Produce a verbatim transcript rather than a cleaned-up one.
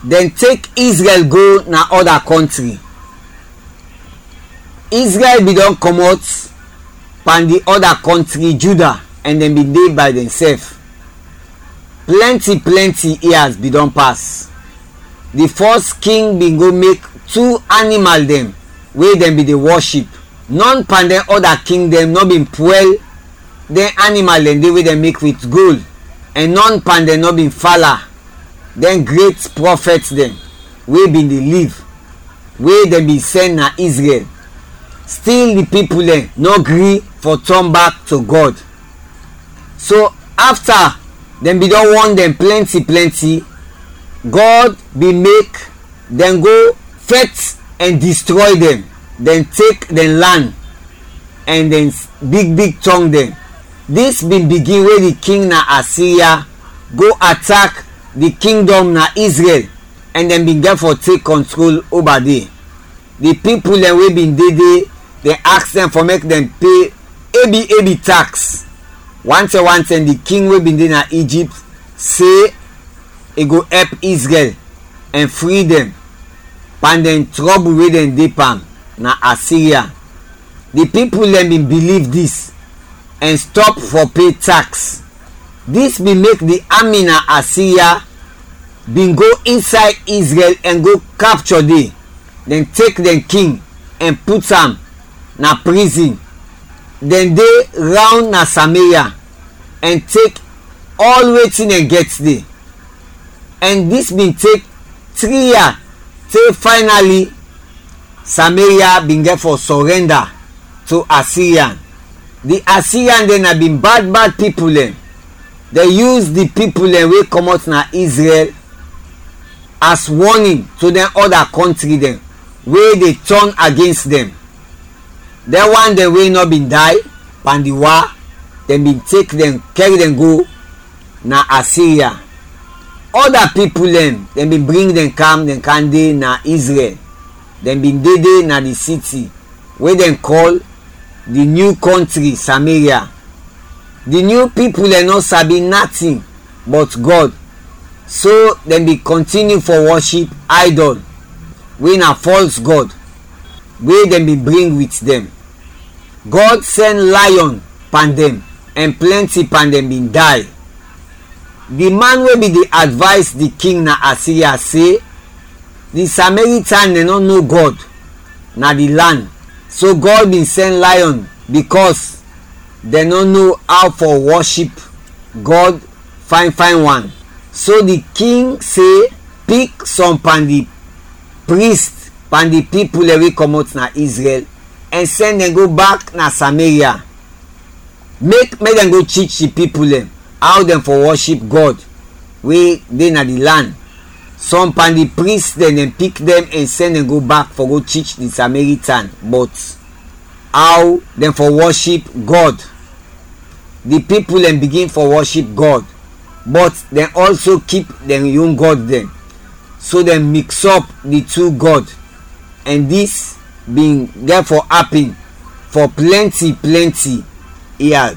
Dɛn tek Izrɛl go na ɔda kɔntri. Izrɛl bin dɔn kɔmɔt pan di ɔda kɔntri, Juda, ɛn dɛn bin de bay dɛnsɛf. Plɛnti plɛnti ia bin dɔn pas. Di fɔs king bin go mek tu animal dɛn we dɛn bin de wɔship. Nɔn pan dɛn ɔda king dɛn nɔ bin pwɛl dɛn animal dɛn de we dɛn mek wit gol, ɛn nɔn pan dɛn nɔ bin fala dɛn gret prɔfɛt dɛn we bin de liv, we dɛn bin sɛn na Izrɛl. Stil di pipul dɛn nɔ gri fɔ tɔn bak to Gɔd. So afta dɛn bin dɔn wɔn dɛn plɛnti plɛnti, Gɔd bin mek dɛn go fɛt ɛn distrɔy dɛn, dɛn tek dɛn lan ɛn dɛn s- big big tɔng dɛn. Dis bin bigin we di king na Asiria go atak di kingdɔm na Izrɛl, ɛn dɛn bin gɛt fɔ tek kɔntrol oba de. Di pipul dɛn we bin de de, dɛn aks dɛn fɔ mek dɛn pe ebi ebi taks. Wantɛm wantɛm di king we bin de na Ijipt se i go ɛp Izrɛl ɛn fri dɛn pan dɛn trɔbul we dɛn de pan na Asiria. Di pipul dɛn bin biliv dis ɛn stɔp fɔ pe taks. Dis bin mek di ami na Asiria bin go insay Izrɛl ɛn go kapchɔ de. Dɛn tek dɛn king ɛn put am na prizin. Dɛn de rawn na Sameria ɛn tek ɔl wetin dɛn gɛt de. Ɛn dis bin tek tri ia te faynali Sameria bin gɛt fɔ sɔrɛnda to Asirian. Di Asirian dɛn na bin bad bad pipul dɛn. Dɛn yus di pipul dɛn we kɔmɔt na Izrɛl as wɔnin to dɛn ɔda kɔntri dɛn we de tɔn agens dɛn. Dɛn wan dɛn we nɔ bin day pan di wa, dɛn bin tek dɛn kɛr dɛn go na Asiria. Ɔda pipul dɛn, dɛn bin bring dɛn kam, dɛn kam de na Izrɛl. Dɛn bin de de na di siti we dɛn kɔl di nyu kɔntri Sameria. Di nyu pipul dɛn nɔ sabi natin bɔt Gɔd, so dɛn bin kɔntiniw fɔ wɔship aydɔl we na fɔls gɔd we dɛn bin bring wit dɛn. Gɔd sɛn layɔn pan dɛn, ɛn plɛnti pan dɛn bin day. Di man we bin de advays di king na Asiria se, di Samaritan dɛn nɔ no Gɔd na di lan, so Gɔd bin sɛn layɔn bikɔs dɛn nɔ no aw fɔ wɔship Gɔd fayn fayn wan. So di king se, pik sɔm pan di prist pan di pipul dɛn we kɔmɔt na Izrɛl ɛn sɛn dɛn go bak na Sameria. Mek mek dɛn go tich di pipul dɛn aw dɛn fɔ wɔship Gɔd we de na di lan. Sɔm pan di prist dɛn dɛn pik dɛn ɛn sɛn dɛn go bak fɔ go tich di Samaritan bɔt aw dɛn fɔ wɔship Gɔd. Di pipul dɛn bigin fɔ wɔship Gɔd, bɔt dɛn ɔlso kip dɛn yon gɔd dɛn. So dɛn miksɔp di tu gɔd, ɛn dis bin gɛt fɔ apin fɔ plɛnti plɛnti ia.